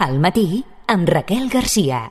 Al matí, amb Raquel Garcia.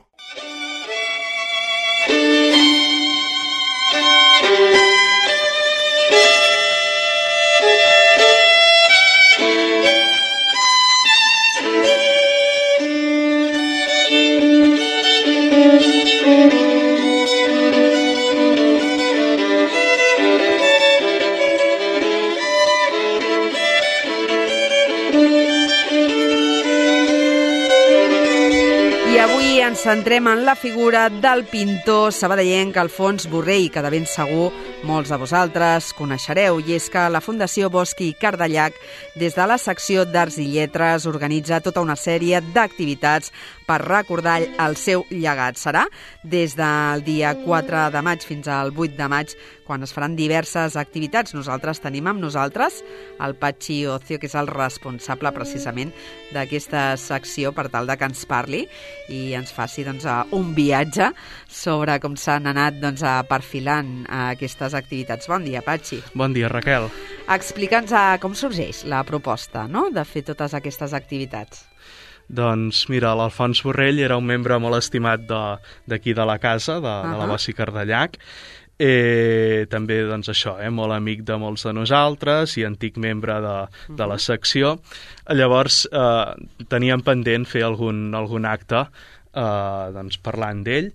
Ens centrem en la figura del pintor sabadellenc Alfons Borrell, que de ben segur molts de vosaltres coneixereu, i és que la Fundació Bosch i Cardellac, des de la secció d'Arts i Lletres, organitza tota una sèrie d'activitats per recordar el seu llegat. Serà des del dia 4 de maig fins al 8 de maig, quan es faran diverses activitats. Nosaltres tenim amb nosaltres el Patxi Ocio, que és el responsable precisament d'aquesta secció, per tal de que ens parli i ens faci un viatge sobre com s'han anat perfilant aquestes activitats. Bon dia, Patxi. Bon dia, Raquel. Explica'ns com sorgeix la proposta, no?, de fer totes aquestes activitats. Doncs mira, l'Alfons Borrell era un membre molt estimat d'aquí de la casa, de la Bosch i Cardellac. També, molt amic de molts de nosaltres i antic membre de la secció. Llavors, teníem pendent fer algun acte parlant d'ell.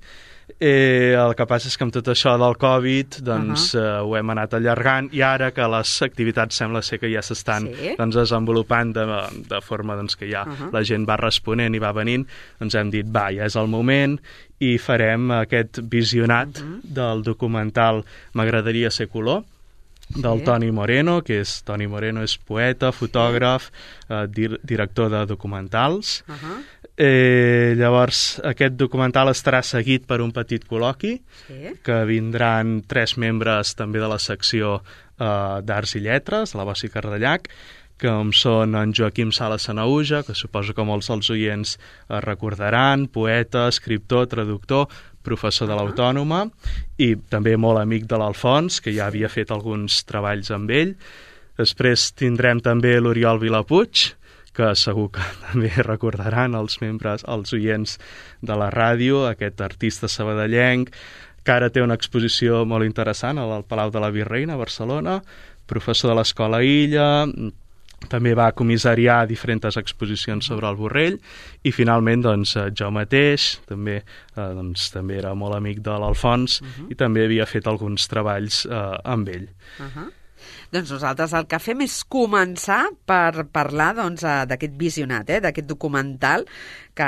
El que passa és que amb tot això del Covid ho hem anat allargant, i ara que les activitats sembla ser que ja s'estan desenvolupant de forma que ja la gent va responent i va venint, hem dit, ja és el moment, i farem aquest visionat del documental M'agradaria ser color, del Toni Moreno, Toni Moreno és poeta, fotògraf, director de documentals. Llavors, aquest documental estarà seguit per un petit col·loqui, que vindran 3 membres també de la secció d'Arts i Lletres, la Bosch i Cardellac, com són en Joaquim Sala Sanaüja, que suposo que molts dels oients recordaran, poeta, escriptor, traductor, professor de l'Autònoma, i també molt amic de l'Alfons, que ja havia fet alguns treballs amb ell. Després tindrem també l'Oriol Vilapuig, que segur que també recordaran els oients de la ràdio, aquest artista sabadellenc, que ara té una exposició molt interessant al Palau de la Virreina, a Barcelona, professor de l'Escola Illa, també va comissariar diferents exposicions sobre el Borrell, i finalment jo mateix, també era molt amic de l'Alfons, i també havia fet alguns treballs amb ell. Doncs nosaltres el que fem és començar per parlar d'aquest visionat, d'aquest documental, que,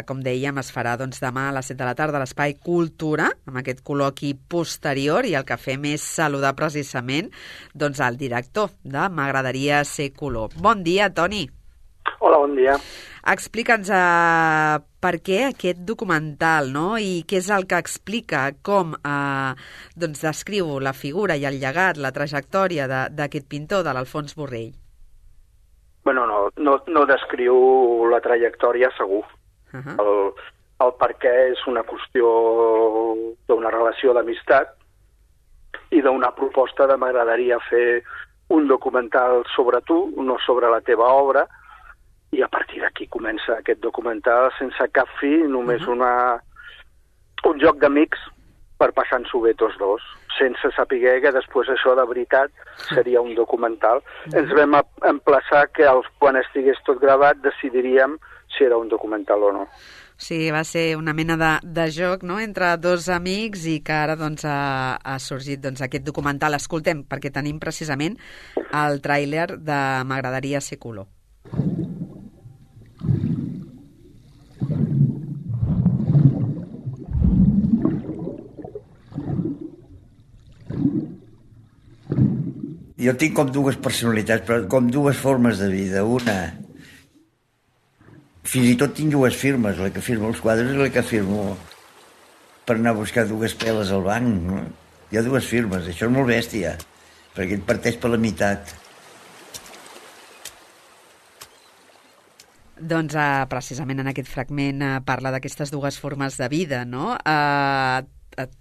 com dèiem, es farà demà a les 7 de la tarda a l'Espai Cultura, amb aquest col·loqui posterior, i el que fem és saludar precisament el director de M'agradaria ser color. Bon dia, Toni. Hola, bon dia. Explica'ns per què aquest documental, no?, i què és el que explica, com descriu la figura i el llegat, la trajectòria d'aquest pintor, de l'Alfons Borrell. Bueno, no descriu la trajectòria, segur. El per què és una qüestió d'una relació d'amistat i d'una proposta de m'agradaria fer un documental sobre tu, no sobre la teva obra, i a partir d'aquí comença aquest documental sense cap fi, només un joc d'amics per passar-nos-ho bé tots dos, sense saber que després això de veritat seria un documental. Ens vam emplaçar que quan estigués tot gravat decidiríem si era un documental o no. Sí, va ser una mena de joc, no?, entre dos amics, i que ara ha sorgit aquest documental. Escoltem, perquè tenim precisament el tràiler de M'agradaria ser color. Jo tinc com dues personalitats, però com dues formes de vida. Una, fins i tot tinc dues firmes, la que firmo els quadres i la que firmo per anar a buscar dues peles al banc. No? Hi ha dues firmes, això és molt bèstia, perquè et parteix per la meitat. Precisament en aquest fragment parla d'aquestes dues formes de vida, no?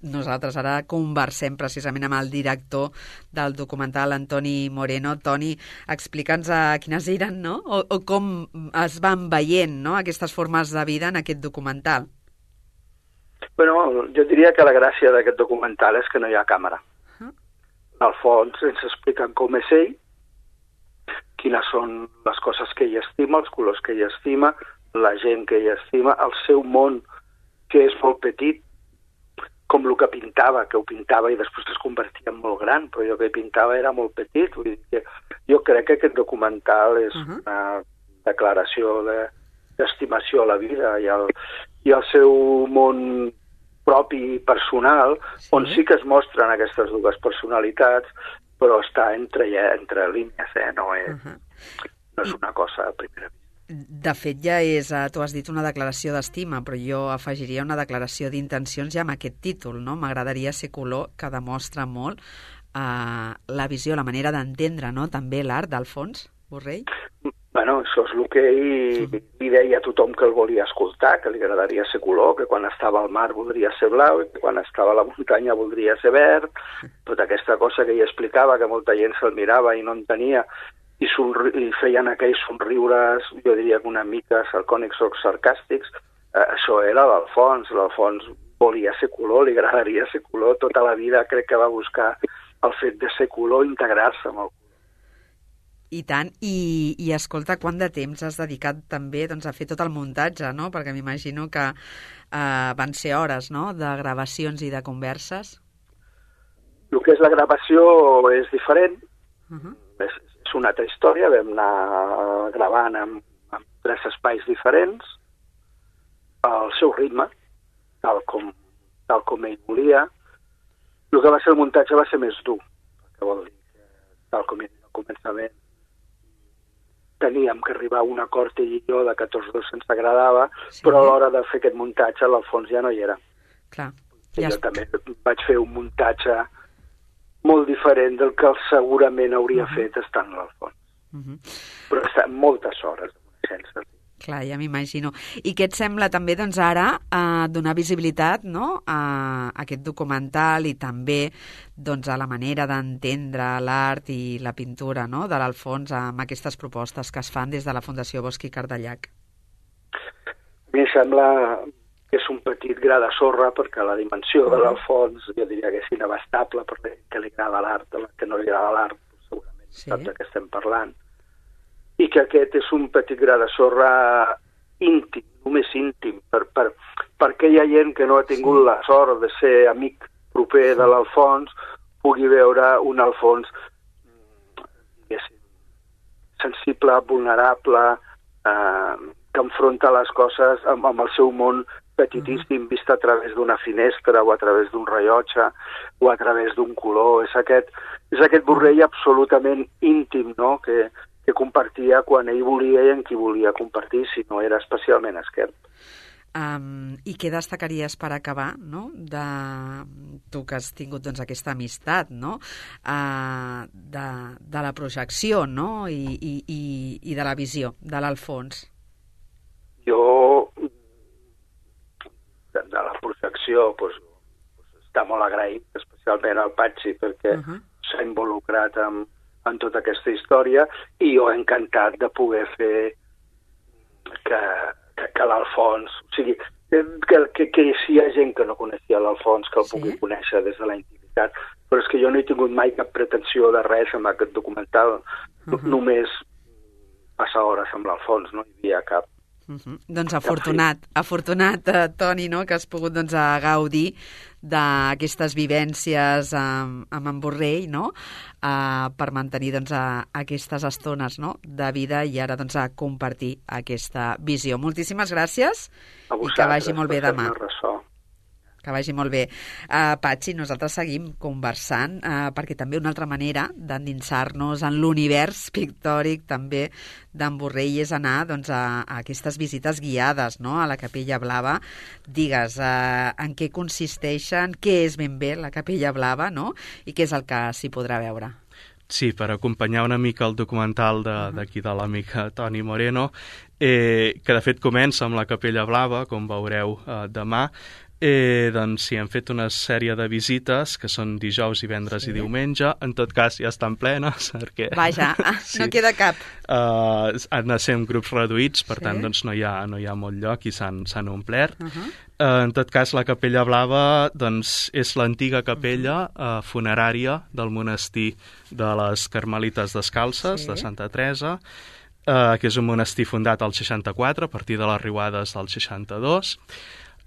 nosaltres ara conversem precisament amb el director del documental, Antoni Moreno. Toni, explica'ns quines eren, no? O com es van veient, no?, aquestes formes de vida en aquest documental. Bueno, jo diria que la gràcia d'aquest documental és que no hi ha càmera. Al fons ens expliquen com és ell, quines són les coses que ell estima, els colors que ell estima, la gent que ell estima, el seu món, que és molt petit, com el que pintava, que ho pintava i després es convertia en molt gran, però jo que pintava era molt petit. Vull dir que jo crec que aquest documental és una declaració d'estimació a la vida i el seu món propi personal, on sí que es mostren aquestes dues personalitats, però està entre línies, no és una cosa a primera vista. De fet, ja és, tu has dit una declaració d'estima, però jo afegiria una declaració d'intencions ja amb aquest títol, no? M'agradaria ser color, que demostra molt la visió, la manera d'entendre, no?, també l'art d'Alfons Borrell. Bueno, això és el que ell li deia a tothom que el volia escoltar, que li agradaria ser color, que quan estava al mar voldria ser blau, que quan estava a la muntanya voldria ser verd, tota aquesta cosa que ell explicava, que molta gent se'l mirava i no entenia, i feien aquells somriures, jo diria que una mica sarcònics o sarcàstics. Això era l'Alfons. L'Alfons volia ser color, li agradaria ser color. Tota la vida crec que va buscar el fet de ser color, integrar-se amb el color. I tant. I escolta, quant de temps has dedicat també a fer tot el muntatge, no? Perquè m'imagino que van ser hores, no?, de gravacions i de converses. El que és la gravació és diferent. És una altra història. Vam anar gravant en 3 espais diferents, al seu ritme, tal com ell volia. El que va ser el muntatge va ser més dur, que vol dir que, tal com he dit al començament, teníem que arribar a un acord ell i jo de que tots dos ens agradava, però a l'hora de fer aquest muntatge l'Alfons ja no hi era. Clar. Jo també vaig fer un muntatge molt diferent del que segurament hauria fet estant a l'Alfons. Però està moltes hores de coneixença. Clar, ja m'imagino. I què et sembla també, doncs, ara donar visibilitat, no?, a aquest documental i també, doncs, a la manera d'entendre l'art i la pintura, no?, de l'Alfons amb aquestes propostes que es fan des de la Fundació Bosch i Cardellac? A mi em sembla que és un petit gra de sorra, perquè la dimensió de l'Alfons jo diria que és inabastable, perquè que li agrada l'art, que no li agrada l'art, segurament sap de què estem parlant, i que aquest és un petit gra de sorra íntim, només íntim, perquè hi ha gent que no ha tingut la sort de ser amic proper de l'Alfons, pugui veure un Alfons sensible, vulnerable, que enfronta les coses amb el seu món petitíssim, vist a través d'una finestra o a través d'un rellotge o a través d'un color. És aquest Borrell absolutament íntim, no?, que compartia quan ell volia i en qui volia compartir, si no era especialment esquerp. I què destacaries per acabar, no?, de tu que has tingut, doncs, aquesta amistat, no?, de la projecció, no?, i de la visió de l'Alfons? Jo, de la projecció, està molt agraït, especialment al Patxi, perquè s'ha involucrat en tota aquesta història, i jo encantat de poder fer que l'Alfons, o sigui, que si hi ha gent que no coneixia l'Alfons, que el pugui conèixer des de la intimitat, però és que jo no he tingut mai cap pretensió de res amb aquest documental, només passar hores amb l'Alfons, no hi havia cap. Doncs afortunat, Toni, no?, que has pogut, doncs, gaudir d'aquestes vivències amb en Borrell, no?, per mantenir, doncs, aquestes estones, no?, de vida i ara, doncs, a compartir aquesta visió. Moltíssimes gràcies i que vagi molt bé demà. Que vagi molt bé. Patxi, nosaltres seguim conversant perquè també una altra manera d'endinsar-nos en l'univers pictòric també d'en Borrell és anar, doncs, a aquestes visites guiades, no?, a la Capella Blava. Digues, en què consisteixen, què és ben bé la Capella Blava, no?, i què és el que s'hi podrà veure. Sí, per acompanyar una mica el documental d'aquí de l'amic Toni Moreno, que de fet comença amb la Capella Blava, com veureu demà. Doncs sí, hem fet una sèrie de visites que són dijous, divendres i diumenge. En tot cas ja estan plenes perquè... Vaja, no queda cap. Han de ser en grups reduïts, per tant doncs no hi ha molt lloc i s'han omplert. En tot cas, la Capella Blava doncs, és l'antiga capella funerària del monestir de les Carmelites Descalces, de Santa Teresa, que és un monestir fundat al 64, a partir de les riuades del 62.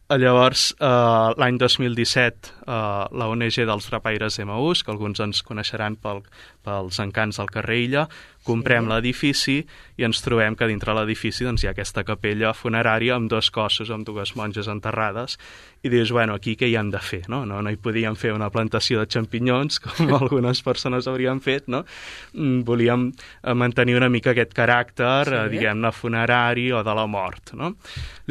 Llavors, l'any 2017, la ONG dels Drapaires d'Emaús, que alguns ens coneixeran pels encants del carrer Illa, comprem l'edifici i ens trobem que dintre l'edifici doncs, hi ha aquesta capella funerària amb 2 cossos, amb 2 monges enterrades, i dius, bueno, aquí què hi hem de fer? No hi podíem fer una plantació de xampinyons, com algunes persones haurien fet, no? Volíem mantenir una mica aquest caràcter, diguem-ne, funerari o de la mort, no?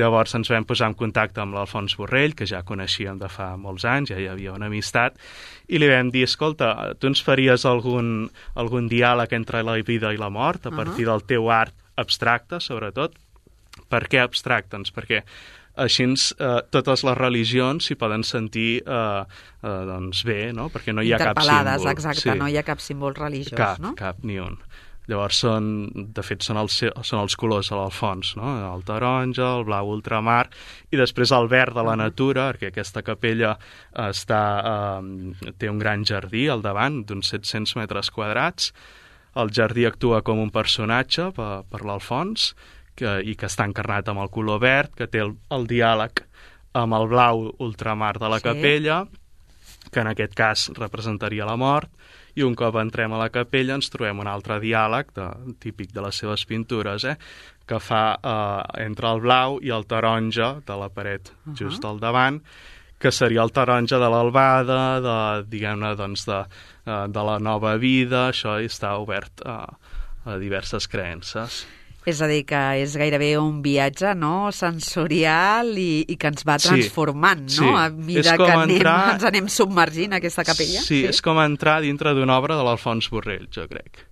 Llavors ens vam posar en contacte amb l'Alfons Borrell, que ja coneixíem de fa molts anys, ja hi havia una amistat, i li vam dir, escolta, tu ens faries algun diàleg entre la vida i la mort, a partir del teu art abstracte, sobretot. Per què abstracte? Doncs perquè així totes les religions s'hi poden sentir doncs bé, no? Perquè no hi ha cap símbol. Interpel·lades, exacte, no hi ha cap símbol religiós, no? Cap, ni un. Llavors, de fet, són els colors de l'Alfons, no? El taronja, el blau ultramar, i després el verd de la natura, perquè aquesta capella té un gran jardí al davant, d'uns 700 metres quadrats. El jardí actua com un personatge per l'Alfons, i que està encarnat amb el color verd, que té el diàleg amb el blau ultramar de la capella, que en aquest cas representaria la mort, i un cop entrem a la capella ens trobem un altre diàleg, típic de les seves pintures, que fa entre el blau i el taronja de la paret just al davant, que seria el taronja de l'albada, diguem-ne, doncs, de la nova vida. Això està obert a diverses creences. És a dir, que és gairebé un viatge, no?, sensorial i que ens va transformant, no?, a mesura que ens anem submergint a aquesta capella. Sí, és com entrar dintre d'una obra de l'Alfons Borrell, jo crec.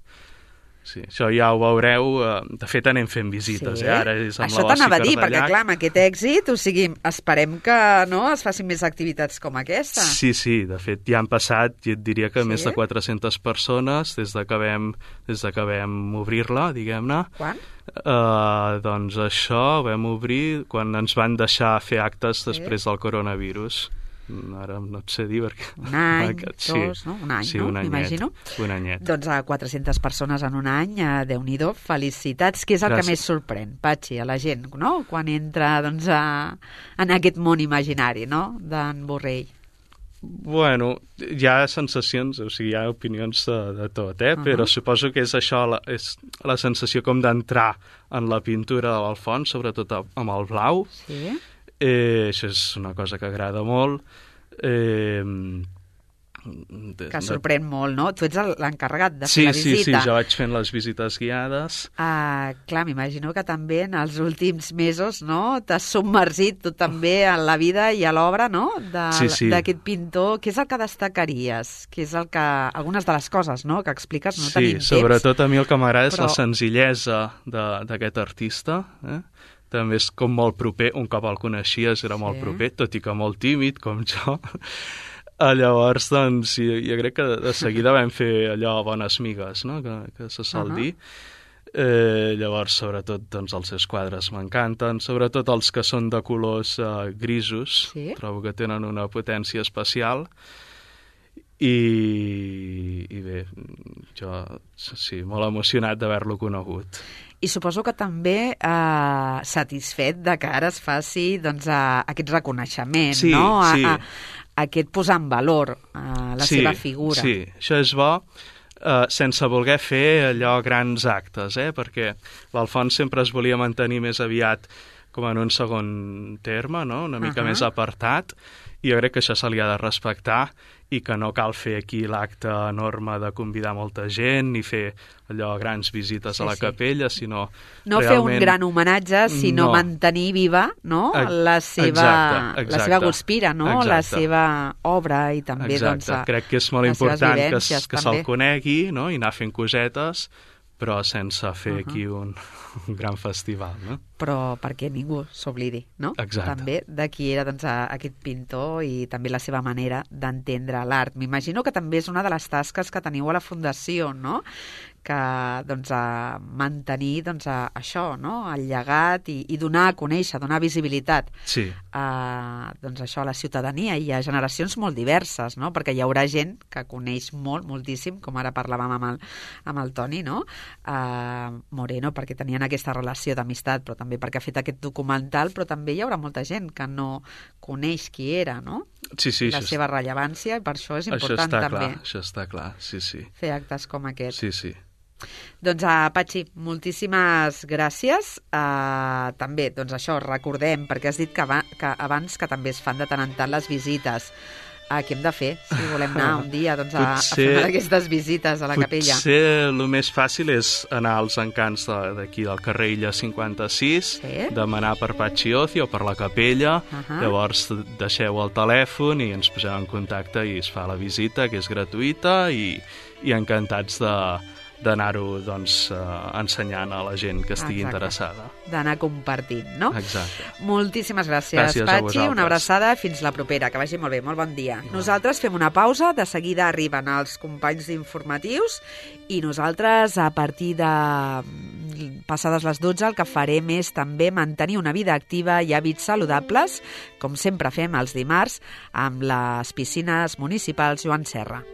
Sí, això ja ho veureu. De fet, anem fent visites, ara és amb això la Bossi t'anava a dir, Cardallac. perquè clar, amb aquest èxit, o sigui, esperem que es facin més activitats com aquesta. Sí, de fet, ja han passat, jo et diria que més de 400 persones des de que vam obrir-la, diguem-ne. Quan? Doncs això ho vam obrir quan ens van deixar fer actes després del coronavirus. Ara no et sé dir perquè... Un any, dos, no? Un any, no? M'imagino. Un anyet. Doncs a 400 persones en un any, Déu-n'hi-do, felicitats. Què és el que més sorprèn, Patxi, a la gent, no?, quan entra doncs, en aquest món imaginari, no?, d'en Borrell. Bueno, hi ha sensacions, o sigui, hi ha opinions de tot, però suposo que és això, és la sensació com d'entrar en la pintura de l'Alfons, sobretot amb el blau. Sí. Això és una cosa que agrada molt. Que sorprèn molt, no? Tu ets l'encarregat de fer la visita. Sí, jo vaig fent les visites guiades. Clar, m'imagino que també en els últims mesos, no?, t'has submergit tu també a la vida i a l'obra, no?, d'aquest pintor. Què és el que destacaries? Què és algunes de les coses, no?, que expliques, no tenim temps. Sí, sobretot a mi el que m'agrada és la senzillesa d'aquest artista, també és com molt proper, un cop el coneixies era molt proper, tot i que molt tímid, com jo. Llavors, doncs, jo crec que de seguida vam fer allò bones migues, no?, que se sol dir. Llavors, sobretot, doncs, els seus quadres m'encanten, sobretot els que són de colors grisos, trobo que tenen una potència especial. I bé, jo sí, molt emocionat d'haver-lo conegut. I suposo que també satisfet de que ara es faci doncs, aquest reconeixement, no? Aquest posar en valor la seva figura. Sí, això és bo, sense voler fer allò grans actes, perquè l'Alfons sempre es volia mantenir més aviat com en un segon terme, no?, una mica més apartat, i jo crec que això se li ha de respectar i que no cal fer aquí l'acte enorme de convidar molta gent ni fer allò grans visites a la capella, sinó no realment... fer un gran homenatge, sinó mantenir viva, no?, la seva Guspira, no?, la seva obra i també doncs, crec que és molt important que se'l conegui, no?, i anar fent cosetes però sense fer aquí un gran festival, no? Però perquè ningú s'oblidi, no? Exacte. També de qui era doncs, aquest pintor i també la seva manera d'entendre l'art. M'imagino que també és una de les tasques que teniu a la Fundació, no? Que doncs, a mantenir doncs, això, no? El llegat i donar a conèixer, donar visibilitat doncs, això a la ciutadania i a generacions molt diverses, no? Perquè hi haurà gent que coneix moltíssim, com ara parlàvem amb el Toni, no? Moreno, perquè tenien aquesta relació d'amistat, però també perquè ha fet aquest documental, però també hi haurà molta gent que no coneix qui era, no? Sí, la seva rellevància, i per això és important també. Això està clar, sí. Fer actes com aquest. Sí. Doncs, Patxi, moltíssimes gràcies. També, doncs això, recordem, perquè has dit que abans que també es fan de tant en tant les visites. Què hem de fer si volem anar un dia doncs, a fer una d'aquestes visites a la capella? Potser el més fàcil és anar als encants d'aquí del carrer Illa 56, demanar per Patxi Ocio o per la capella, llavors deixeu el telèfon i ens posem en contacte i es fa la visita, que és gratuïta, i encantats d'anar-ho doncs, ensenyant a la gent que estigui interessada. D'anar compartint, no? Exacte. Moltíssimes gràcies Patxi, una abraçada, fins la propera, que vagi molt bé, molt bon dia. Nosaltres fem una pausa, de seguida arriben els companys d'informatius i nosaltres a partir de passades les 12 el que farem és també mantenir una vida activa i hàbits saludables, com sempre fem els dimarts amb les piscines municipals Joan Serra.